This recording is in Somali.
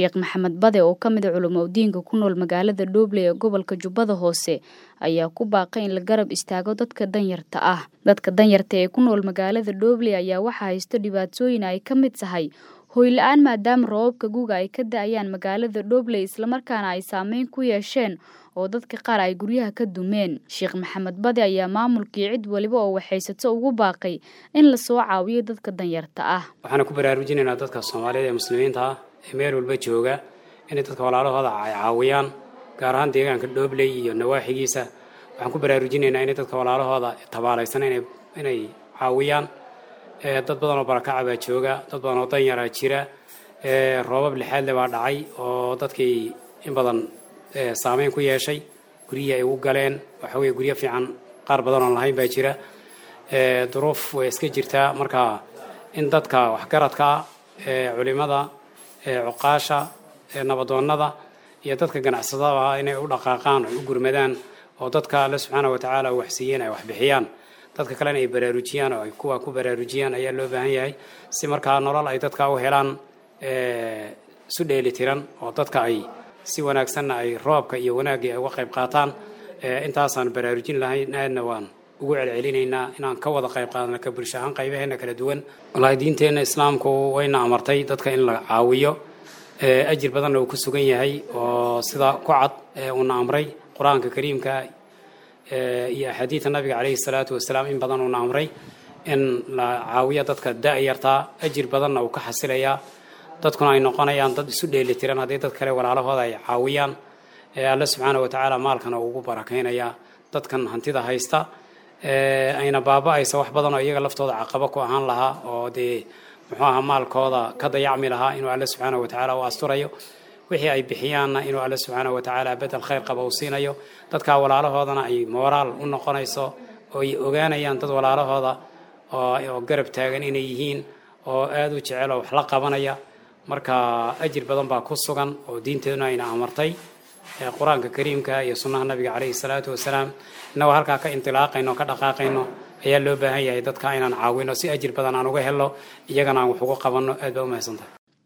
Sheekh Maxamed Bade oo ka mid ah culimo-diinka ku nool magaalada Dhoble ee gobolka Jubbada Hoose ayaa ku baaqay in la garab istaago dadka danyarta ah. Dadka danyarta ee ku nool magaalada Dhoble ayaa waxaa haysto dhibaatooyin ay ka mid tahay hoy la'aan maadaama roobabka guga ay ka da'ayaan magaalada Dhoble islamarkaana ay saameyn ku yeesheen oo dadka qaar ay guryaha ka dumeen. Sheekh Maxamed Bade ayaa maamulkii cid waliba oo waxaysato ugu baaqay in la soo caawiyo dadka danyarta ah. Waxaan ku baraarujinaynaa dadka Soomaaliyeed ee muslimiinta ah ee meel walba jooga inay dadka walaalahooda ay caawiyaan, gaar ahaan deegaanka Dhobley iyo nawaaxigiisa. Waxaan ku baraarujinaynaa inay dadka walaalahooda tabaalaysan inay caawiyaan. Dad badan oo barakaca baa jooga, dad badan oo danyaraa jira. Roobab lixaad le baa dhacay oo dadkii in badan saameyn ku yeeshay, guryihii ay ugu galeen. Waxa weeye guryo fiican qaar badan oon lahayn baa jira. Duruuf way iska jirtaa. Marka in dadka waxgaradka ah, culimada, cuqaasha, nabadoonnada iyo dadka ganacsatada ah inay u dhaqaaqaan oo u gurmadaan oo dadka Alle subxaana wa tacaala wax siiyeen ay wax bixiyaan, dadka kalena ay baraarujiyaan oo ay kuwa ku baraarujiyaan ayaa loo baahan yahay, si markaa nolol ay dadka u helaan isu dheeli tiran oo dadka ay si wanaagsanna ay roobka iyo wanaaggii ay uga qayb qaataan. Intaasaan baraarujin lahayn, aadna waan ugu celcelinaynaa inaan ka wada qayb qaadano ka bulsho ahaan qaybaheena kala duwan. Wallaahi diinteenna islaamku wayna amartay dadka in la caawiyo, ajir badanna uu ku sugan yahay oo sida ku cad uuna amray qur-aanka kariimka iyo axaadiidta nabiga caleyhi salaatu wasalaam. In badan uuna amray in la caawiyo dadka da'yartaa, ajir badanna uu ka xasilayaa, dadkuna ay noqonayaan dad isu dheeli tiran haddii dad kale walaalahooda ay caawiyaan. Alle subxaana wa tacaala maalkana uu ugu barakaynayaa dadkan hantida haysta, ayna baaba-aysa wax badan oo iyaga laftooda caqabo ku ahaan lahaa oo dee muxuu ahaa maalkooda ka dayacmi lahaa, inuu Alle subxaana wa tacaala u asturayo wixii ay bixiyaanna, inuu Alle subxaana wa tacaala bedel khayr qaba uu siinayo. Dadka walaalahoodana ay mooraal u noqonayso oo ay ogaanayaan dad walaalahooda oo garab taagan inay yihiin oo aada u jecel oo wax la qabanaya. Marka ajir badan baa ku sugan oo diinteeduna ayna amartay, qur-aanka kariimka iyo sunnaha nabiga caleyhi salaatu wasalaam. Innagoo halkaa ka intilaaqayno o ka dhaqaaqayno ayaa loo baahan yahay dadka inaan caawino si ajir badan aan uga helno, iyagana aan wax ugu qabanno. Aad baa u mahadsantahay.